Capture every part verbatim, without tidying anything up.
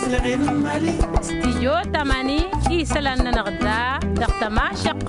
Stijyo tamani isălan-nănăɣ da dăɣ-tămašăq.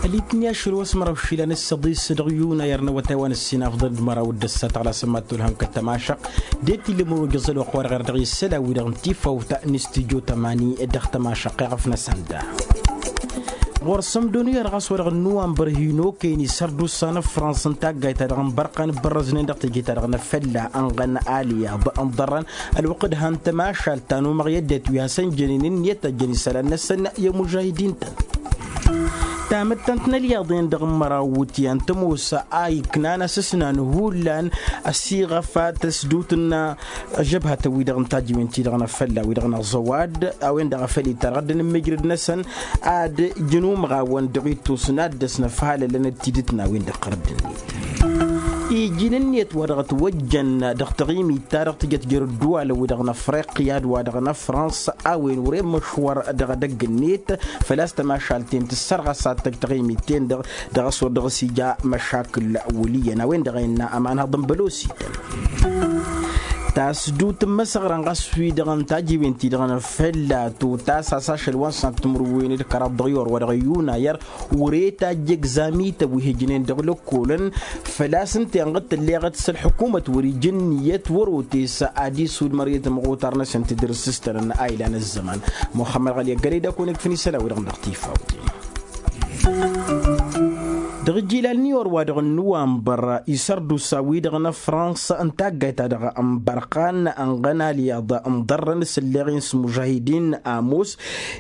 Ălitni ašăl wa s-măraw išilan ǝssăḍis dăɣ-yuna i-arnăwăt a-wa n-ǝssin afḍăn d-măraw d-ăssat ɣǝla sămmat tulhăm kăl-tămašăq. Dd-tilǝmăr wa jăẓăl wa ăxwar ɣer dăɣ-isălan-wi-dăɣ n-tifawt n-stijyo tamani dăɣ-tămašăq iɣăf-năsăn da. Ɣur-sămdon i-ărɣas wa dăɣ-nuwănbăr hin-okăyăn isărdusa n-ăfrans n-taggayt-ta-dăɣ n-bărqan ǝbbărrăznen dăɣ-teje-ta-dăɣ n-afălla ănɣăn alyaḍ n-iḍărrăn. Ălwăqq d-han tămašalt ta n-umăɣ i-ăddinăt wi hasăn-jănen ǝnniyăt ta jăn isălan-năsăn i-ămužahidin-tăn. Tamăttant n-alyaḍ-en-dăɣ n-măraw iwǝtyan tămoos a iknan asǝsnan hullan ăsiɣăf tăsdut n-ažăbhătăn-wi-dăɣ n-tajǝwen-ti-dăɣ n-afălla-wi-dăɣ n-aẓăwad a-wen-dăɣ a făl itarɣădăn n-mǝjrăd-năsăn ad-jăn umɣawăn dăɣ-ittus n-ad-dăs-năfhalălăn d-tidǝt n-a-wen-dăɣ ɣărădd-net. Iji n-ǝnniyăt wa dăɣ-ătwăjjăn dăɣ-taɣimit-ta-dăɣ tǝjăt jer-ǝddǝwalăn-wi-dăɣ n-afriqya d-wa-dăɣ n-afrans a-wen wăren măšwăr dăɣ-edăgg-net. Făl-a-s tămašalt-en tǝssărɣăs ad-tăj taɣimit-ten-dăɣ dăɣ-a-s wăr dăɣ-s ija măšakǝl wăl' iyyăn a-wen-dăɣ a innă ămanhăḍ n-bălosităn. Tasdut n-imăsăɣran ɣas wi-dăɣ n-tajiwen-ti-dăɣ n-afălla totas a-s ašăl wa n-săn timǝrwen d-kăraḍ dăɣ-i orwa dăɣ-iyunayăr. Wăr-e tajj egzami-tăn wi hǝjnen dăɣ-lăkkolăn făl-a-s ǝnta-en ɣǝd tǝlleɣăt s-ălḥukumăt wăr-ija ǝnniyăt wăr-otes ad-isudmăr i-tamɣutar-năsăn tidǝrǝs s-tănăn a ilan ăzzăman. Muxămmăd ɣăli ăggălăy d-akăwăn-ǝkfǝn isălan-wi-dăɣ dăɣ-tifawt. Dăɣ-ijilal n-iwăr wa dăɣ-nǝwanbăr isărdusa-wi-dăɣ n-afrans n-taggayt-ta-dăɣ n-bărqan ănɣăn alyaḍ n-iḍărrăn s-ǝlleɣ-in s-mužahidin ămoos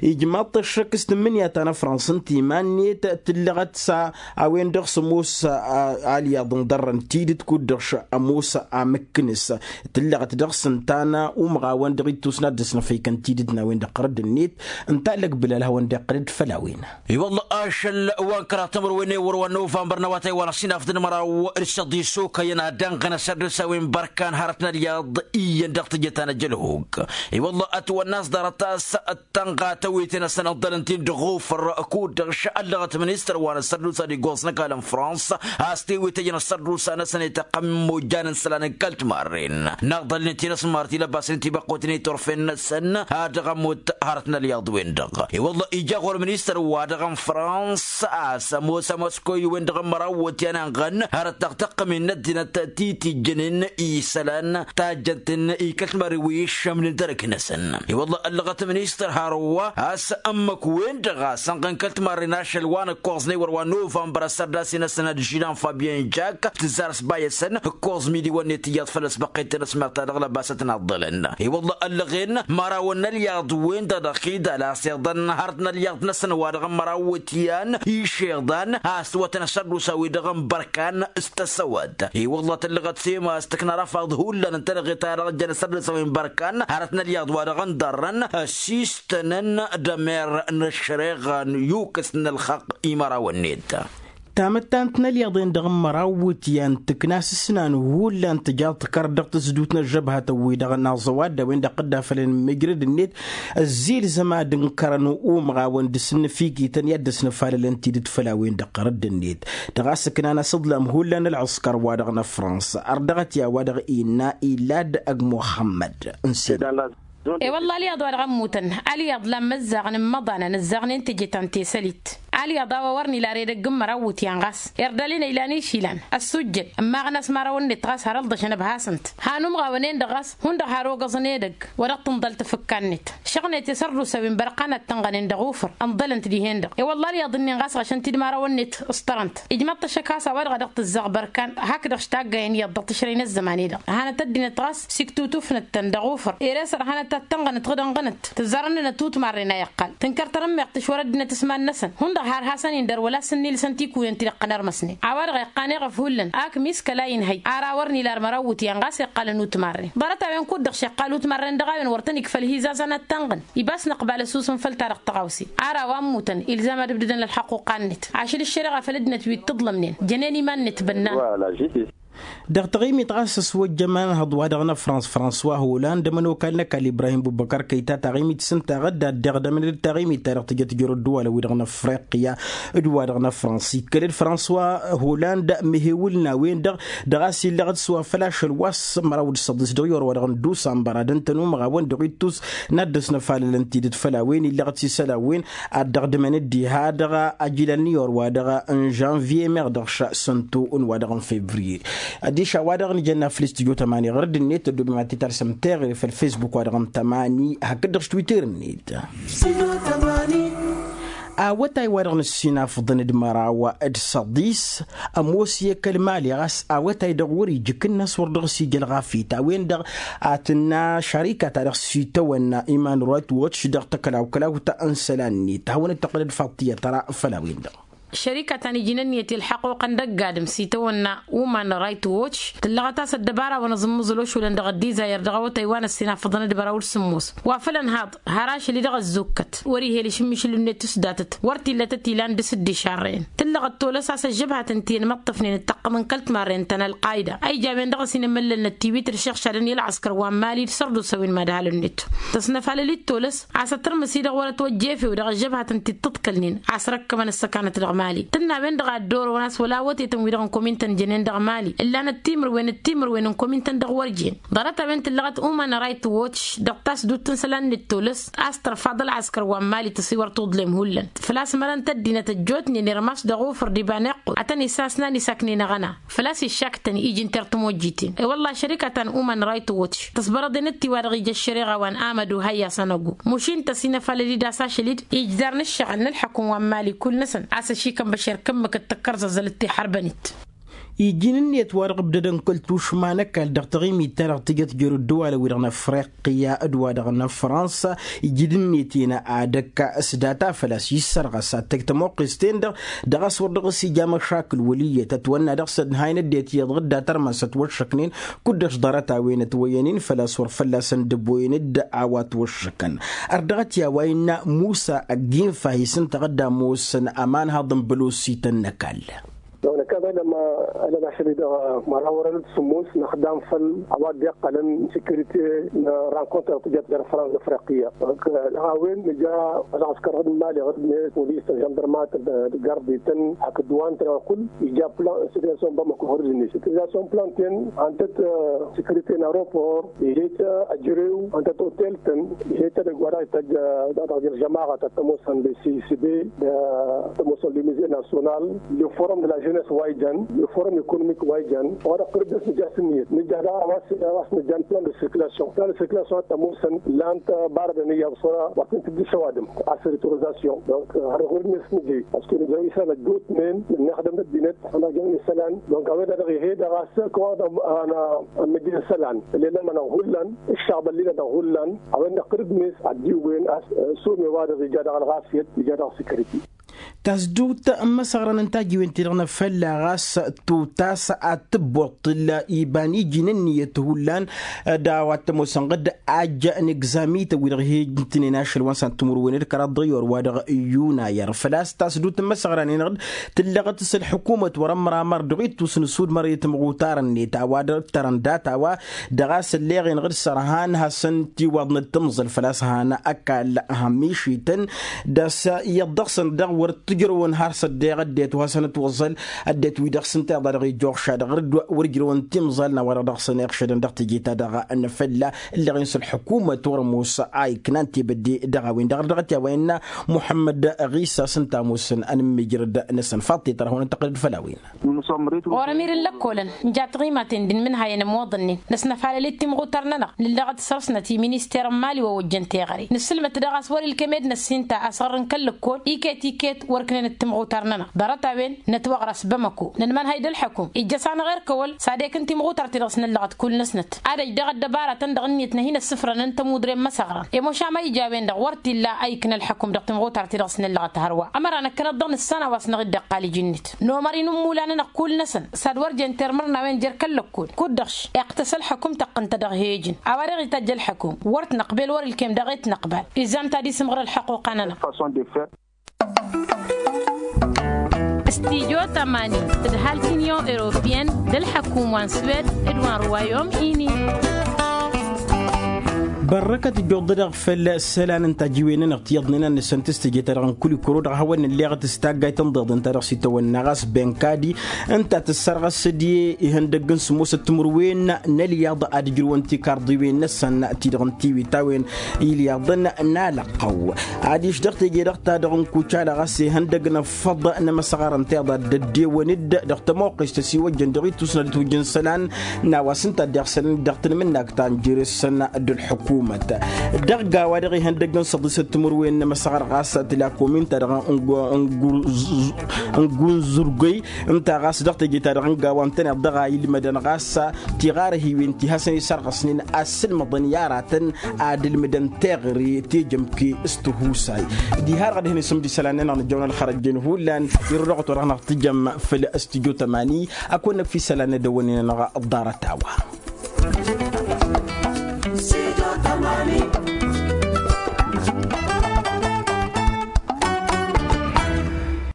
ijmaḍ-t ăššăk s-tǝmmǝnǝya ta n-afrans ǝnta iman-net tǝllăɣăt s-a a-wen-dăɣ s-ămoos alyaḍ n-iḍărrăn tidǝt kud-dăɣ š-ămoos amǝkkǝnǝs tǝllăɣăt dăɣ-s ǝnta n-umɣawăn dăɣ-ittus n-ad-dăr-s năfăykăn tidǝt n-a-wen-dăɣ ɣărădd-net. Ǝnta a lăgbǝlal a hawăn-dd-iqqăl d-făll-a-wen. I-wălla ašăl wa n-kăraḍ timǝrwen i-wăr wa n-novămbăr n-awătay wa n-ăṣṣinaf d-măraw d-săḍis okăyăn ad-ănɣăn asărdǝs a-wen bărkan hărăt n-alyaḍ iyyăn dăɣ-tijăt ta n-ăjălhuk. I-wălla ătwănna a-s ḍarăt a-s tănɣa tewete-năsăn ǝḍḍălăn-t-in dăɣ-ofăr kud-dăɣ šăllăɣăt ministăr wa n-asărdusa d-igoẓ n-ăkall n-frans a-s tewetăjăn asărdusa-năsăn i-tăqqăm imojjan n-isălan n-kăl-timarren n-aḍălnet-in ăsmar tilăbasnen tibăqqoten i-turfen-năsăn. Ad-dăɣ-ămmut hărăt n-alyaḍ-wen-dăɣ i-wălla ija ɣur-ministăr wa dăɣ-n frans a-s ămoos ămoos koy-wen dăɣ-n măraw wătyan ănɣăn hărăt dăɣ-tăqqămin n-ăddinăt ti tijjănen isălan tajjănten i-kăl-timarren wi iššămnen dărăk-năsăn. I-wălla ăllăɣăt ministăr har wa a-s ǝmmǝk-wen-dăɣ a-s ănɣăn kăl-timarren ašăl wa n-ǝkkoẓ n-ewăr wa n-novămbăr ăssărdas-i-năsăn ad-žilan fabyen jak tǝzzar s-bayăsăn ǝkkoẓ midiwăn-net iyyăḍ făll-ăsbăqqet n-ăsmar ta dăɣ-lăbasăt n-aḍḍălăn. I-wălla ăllăɣen mărawăn n-alyaḍ-wen-dăɣ dăɣ-xidal a-s iḍăn hărăt n-alyaḍ-năsăn wa dăɣ-n măraw wătyan išiḍan a-s tǝwătăn asărdusa-wi-dăɣ n-bărkan s-tăsăwăt. I-wălla tăllăɣăt sema a-s tǝkna răfaḍ hullan n-tălăɣe ta dăɣ-jăn asărdusa-wi n-bărkan hărăt n-alyaḍ wa dăɣ-n ḍarrăn ăsistănăn d-ămer n-ăššăreɣa n-yukǝs n-ălxaqq i-mărawăn-net. Tamăttant n-alyaḍen dăɣ-n măraw wǝtyan tǝkna s-ǝsnan hullan tǝjaḍ tǝkăr dăɣ-tǝzdut n-ăžžăbhătăn-wi-dăɣ n-aẓăwad d-a-wen-dăɣ dd-afălăn mǝjrăd-net. Ăzzilzăm ad-ǝnkărăn umɣawăn d-asǝnnǝfikităn i-ad-dăsnăfalălăn tidǝt făll-a-wen-dăɣ ɣărădd-net. Dăɣ-a-s ǝknan asǝḍlam hullan ălɣǝskăr-wa-dăɣ n-afrans ărdăɣăt i-a-wa-dăɣ innă ilad ăgg muxămmăd. N-sed. E-wălla alyaḍ wa dăɣ-ămmutăn alyaḍ la n-imăzzaɣăn n-imăḍanăn ǝzzaɣnen teje ta n-tesălit. Alyaḍ a-wa wăr nǝla ar edăgg n-măraw wǝtyan ɣas irdăl-in ăylan išilan ăssujjăd ǝmmaɣăn a-s imărawăn-net ɣas har ălḍăšăn ăbhasăn-t. Han umɣawăn-en-dăɣ ɣas hundăɣ har ogăẓăn edăgg wa dăɣ-tǝnḍăl tafǝkka-net. Šăɣnet i-sărdusa wi n-bărqan ad-tănɣănen dăɣ-ufǝr ǝnḍălăn-t dihen-dăɣ i-wălla alyaḍ-nin ɣas ɣăšăn-t-dd imărawăn-net ǝsṭărăn-t. Ijmăḍ-t ăššăk ɣas a-wa-dăɣ a dăɣ-tǝzzaɣ bărkan hakk-dăɣ s-taggayăn iyyăḍ dăɣ-tǝšrăy n-ăzzăman-i-dăɣ. Hanăt ăddinăt ɣas s-iktutufnăt-tăn dăɣ-ufǝr ere-s ărhanăt ad-tănɣănăt ɣǝd ănɣănăt tǝzzarăn-nănăt utmarren a iqqal tǝnkăr tarǝmmeɣt tǝšwăr ăddinăt s-iman-năsăn. Hundăɣ har hasăn-indăr wăla s-ǝnnilsăn tikuyen ti dăɣ-qănărmăsnen a-wa-dăɣ iqqan eɣăf hullan ak miskăla inhăy ar a wăr nila ar măraw iwǝtyan ɣas iqqalăn utmarren ḍarăt-a-wen kud-dăɣ šeqqal utmarren dăɣ-a-wen wăr tăn-ikfăl hizazăn ad-tănɣăn. Ibas năqbal ăsusǝnfăl-ta-dăɣ tăɣawse ar a-wa ǝmmutăn ilzam ad-ǝbdǝdăn ălxăqquqa-net ašăl ǝššăreɣa făll-ăddinăt wi t-tǝḍlămnen jănen iman-net bănnan. Dăɣ-taɣimit ɣas ăswăjjămăn hăḍ-wa-dăɣ n-ăfrans françois holand ămănokal n-ăkall ibrahim bubăkar kăyta taɣimit s-ǝnta ɣădda ăddeɣ d-emănăd d-taɣimit-ta-dăɣ tǝjăt jăr ăddăwalăn-wi-dăɣ n-afriqya d-wa-dăɣ n-ăfrans ikkăl-dd françois holand mehewǝl n-a-wen-dăɣ. Dăɣ-a-s illăɣ-dd s-wa făl ašăl wa s-măraw d-săḍis dăɣ-i orwa-dăɣ n-dusambăr ad-ǝntăn umăɣawăn dăɣ-ittus n-ad-dd-ăsnăfalălăn tidǝt făll-a-wen illăɣ-dd s-isălan-wen ad-dăɣ-dd-măn dd-iha dăɣ-ajilal n-iyor wa-dăɣ n-žănviye meɣ dăɣ-ša săntu n-wa-dăɣ n-fevriye. Adiš a-wa-dăɣ n-ijăn aflǝs tijo tămani ɣur-dd-net ăddoobem ad-t-talsăm teɣre făll-fesbuk wa-dăɣ n-tămani hakd-dăɣ s-twitter-net. Awătay wa-dăɣ n-ăssinafăḍăn d-măraw d-săḍis ămoos i-kăl-mali ɣas awătay-dăɣ wăr-ija ikǝnnas wăr dăɣ-s ija ălɣafyăt a-wen-dăɣ a tǝnna šarika ta dăɣ-s itawănna iman ruwayt wătš dăɣ-tăkălawkălawt n-isălan-net hawăn-dd-tăqqǝlăd faḍt tiyyăt tăra făll-a-wen-dăɣ. Šărika ta n-iji n-ǝnniyăt i-ălḥăqquqăn d-ăgg-adǝm s-itawănna uman rayt wotš tǝllăɣăt a-s ăddăbara wa n-aẓǝmmǝẓǝl ošulăn dăɣ-ăddizayăr dăɣ-awătay wa n-ăssinafăḍăn d-măraw d-sǝmmos wa făl ănhaḍ har ašăl-i-dăɣ ăzzukkăt wăr-ihel išǝmmišǝl-net s-datăt wăr t-illătăt ilan d-asǝddišarrăyăn. Tǝllăɣăt tolăs a-s ăžžăbhatăn ti ănmăṭṭăfnen d-taqqăḍ n-kăl-timarrăyăn ta n-ălqayda a ijawăn dăɣ-s inămăllălnăt tiwit d-išăɣšadăn i-ălɣăskăr wa n-mali d-sărdusa wi n-madhalăn n-net tăsnăfalăl-dd tolăs a-s ătrmǝs-i-dăɣ wăr-ătwăjja efew dăɣ-ăžžăbhatăn ti t-ǝḍkălnen a-s răkkămăn ǝssăkanăt dăɣ-mali tǝnna a-wen-dăɣ a dd-orăwăn a-s wăla awătetăn-wi-dăɣ n-komintăn jănen dăɣ-mali ǝllanăt timǝrwen d-timǝrwen n-komintăn dăɣ-wăr jen. Ḍarăt-a-wen tǝllăɣăt uman rayt wotš dăɣ-tasdut n-isălan-net tolăs a-s tărfaḍ ălɣăskăr wa n-mali tăsiwăr tuḍlem hullan făl-a-s mărăn tăddinăt ăjjootnen irmas dăɣ-ufǝr d-iba n-iqqud a tăn-isasnan isaknen aɣăna făl-a-s iššaktăn iji n-terr timojjiten. I-wălla šărika ta n-uman rayt wotš tăsbărăḍen d-tiwa-dăɣ ija ăššăreɣa wa n-amădu hăyya sănăgu mušin-t ăsinăfalăl-dd a-s ašăl-dd ijdarn ǝššăɣǝl n-ălḥăkum wa n-mali kull-năsăn a-s ăšikăn băšer kǝmmǝkăt tăkkărzăẓălăt tixărbăn-dd. Iji n-ǝnniyăt wa dăɣ-ǝbdădăn kăl-tušma n-ăkall dăɣ-taɣimit-ta-dăɣ tǝjăt jer-ăddăwalăn-wi-dăɣ n-afriqya d-wa-dăɣ n-afrănsa iji d-ǝnniyăt-en ad-ăkk s-data făl-a-s issărɣăs ad-tăj tămoqqes-ten-dăɣ dăɣ-a-s wăr dăɣ-s ija măšakǝl wăl' iyyăt ătwănna dăɣ-săn hayăn ăddinăt iyyăḍ dd-ad-tărmăn s-ătwăššăknen kud-dăɣ-š ḍarăt-a-wen ătwăyyăn-in făl-a-s wăr fălla-săn dd-ăbboyăn-dd a-wa ătwăššăkăn. Ărdăɣăt i-a-wa innă musa ăgginfa hi-sǝntăɣ dd-ămoosăn ămanhaḍ n-bălosităn n-ăkall. Dăɣ-năkall ălăm ălăm ašăl-i dăɣ-măraw wărăn d-sǝmmos năxdam făll-a-wa dd-iqqălăn sekirite n-rankuntăr tǝjăt dăr-fransa afriqiyya. Dăɣ-a-wen nǝja ălɣăskăr ɣǝd n-imali ɣǝd-net polis tănžăndărmat d-gardităn hakd wa ǝntăneɣ kull ija plan n-sitiyasyon n-bamako ɣǝd-net sitiyasyon n-plan-ten ăntăt sekirite n-aropor ihet ajrew ăntăt otel-tăn ihet edăgg wa dăɣ-ităjj dăɣ-jer-žămaɣăt ad-t-ămoosăn d-sisbe d-t-ămoosăn d-muze nasyonal, le forum d-la jeunesse wa ijăn le forum ekonomik wa ijăn wa dăɣ-tărǝddăs nǝja s-ǝnniyăt nǝja daɣ a-wa s-nǝja n-plan de circulation plan de circulation ad-t-ămoosăn lan-t barădăn iyyăḍ s-wăr-a wa s-nǝtǝjjǝš ăwadǝm a-s retorizasyon donc har ɣur-net nǝjăy parce que nǝjăy isălan ăjjootnen nǝnnexdăm ăddinăt ănăjăn isălan donc a-wen-dăɣ ihe-dăɣ a-s kăwăḍăm ănmǝjǝn isălan ăllenăm-anăɣ hullan ǝššaɣbăl-i-nănăɣ hullan a-wen-dăɣ tărǝdnet ad-dd-iwwen a-s some-wa-dăɣ ija dăɣ-ălɣafyăt ija dăɣ-sécurité. Tasdut n-imăsăɣrăn n-tajiwen-ti-dăɣ n-afălla ɣas tutas ad-tǝbboṭṭǝl iba n-iji n-ǝnniyăt hullan d-a-wa t-ămoosăn ɣǝd ajj n-egzami-tăn wi-dăɣ hi-ǝjǝntǝnen ašăl wa n-san timǝrwen d-kăraḍ dăɣ-i orwa dăɣ-yunayăr făl-a-s tasdut n-imăsăɣran-en-dăɣ tǝllăɣăt s-ălḥǝkumăt wăr-ămramăr dăɣ-ittus n-asudmăr i-timɣutar-net a-wa dăɣ-tărăn data-wa dăɣ-a-s ălleɣ-en ɣǝd sărhan hasăn-t iwaḍnăt timẓăl făl-a-s han ăkall hămmišităn d-a-s iyyăḍ dăɣ-săn daɣ wăr t-ǝjrăwăn har s-ăddeɣ ăddinăt wa hasăn-ătwăẓăl ăddinăt wi dăɣ-s ǝnta iḍa dăɣ-ijjuɣšad ɣǝr-dd wăr ǝjrăwăn timẓal n-a-wa-dăɣ dăɣ-săn iɣšădăn dăɣ-teje-ta-dăɣ n-afălla ǝlleɣ-in s-ălḥǝkumăt wăr-ămoos a iknan tebădde dăɣ-a-wen-dăɣ ărdăɣăt i-a-wa innă muḥămmăd ɣisa s-ǝnta ămoosăn ănǝmmijrăd-năsăn faḍt i-tărhawăn ǝntăqqăl-dd făll-a-wen. Ɣur-ămir n-lăkkolăn nǝja tiɣimaten d-inmǝnhayăn ămwăḍănnen năsnăfalăl-dd timɣutar-nănăɣ nǝllăɣăt săr-snăt i-minister n-mali wa ojjăn teɣăre nǝssǝlmăt daɣ a-s wăr-ilkem ed năssinta asɣăr n-kăl-lăkkol iket-iket wăr-ǝknenăt timɣutar-nănăɣ ḍarăt-a-wen nătwăɣrăs bamăko nǝnmănhăy d-ălḥăkum ijjăs-anăɣ erkăwăl s-ad-ekǝn timɣutar-ti-dăɣ s-năllăɣăt kull-năsnăt ad-ăj daɣ ăddăbaratăn-dăɣ ǝnniyăt n-ad-hin-ăssǝfrănăn tămudre n-imăsăɣrăn i-mošam a ija a-wen-dăɣ wăr t-illa a ikna ălḥăkum dăɣ-timɣutar-ti-dăɣ s-năllăɣăt hărwa ămăra năkkăneḍ-dăɣ nǝssan a-wa s-năɣ-dd-iqqal iji-net nomăr-i n-immula-nănăɣ kull-năsăn s-ad-wăr jen termăr n-a-wen jer-kăl-lăkkol kud-dăɣ-š iqqtăs ălḥăkum tăqqǝn-t dăɣ-he-ijǝn a-wa dăɣ-itajj ălḥăkum wăr-t-năqbel wăr-ilkem daɣ-e-t năqbal izam ta d-isǝmɣǝr ălḥăquqa-nănăɣ. Stidyo tămani d-ǝhal t-inyon europiyăn d-ălḥăkum wa n-swed d-wa n-ruwayom-ini. Bărrăkăt ijjuḍ-dăɣ făll-isălan n-tajǝwen-nănăɣ ti iyyăḍnen ad-nǝssan tǝstǝje-ta-dăɣ n-kulikuro dăɣ-hawăn-nǝlleɣăt s-taggayt ǝnḍeḍ ǝnta-dăɣ s-itawănna ɣas benkadi ǝnta tǝssărɣăs d-ihăndăgg n-sǝmmosăt timǝrwen n-ălyaḍ ad-ǝjrǝwăn tikarḍiwen-năsăn ti-dăɣ n-tiwit a-wen ilyaḍăn n-alăqqăw. Adiš dăɣ-teje-dăɣ-ta-dăɣ n-kucala ɣas ihăndăgg n-ăffăḍ n-emăsɣarăn tiḍa dd-ăddewăn-dd dăɣ-tămoqqest ăsiwăjjăn dăɣ-itusna d-tujǝn isălan n-a-wa s-ǝnta a dd-iɣsălăn dăɣ-tanmǝnnagt ta n-jere-săn d-ălḥukumăt. Dăɣ-gawa dăɣ-ihăndăgg n-săḍisăt timǝrwen n-emăsɣar ɣas tǝla komin-ta-dăɣ n-gunzurgăy ǝnta ɣas dăɣ-teje-ta-dăɣ n-gawa ǝntăneḍ dăɣ-a ilmădăn ɣas tiɣarhiwen ti hasăn-isărɣăsnen a ǝssǝlmăḍăn i-aratăn ad-ǝlmǝdăn teɣăre tejămke s-tihusay. Diha-dăɣ ad-hin-isǝmd isălan-nănăɣ nǝjjăwăn ălxărăjjen hullan irǝw dăɣ-otwăr hanăɣ-tǝjăm făll-studyo tămani. Ad-kăwăn-năkf isălan n-edăwănnen-nănăɣ ḍarăt-a-wa.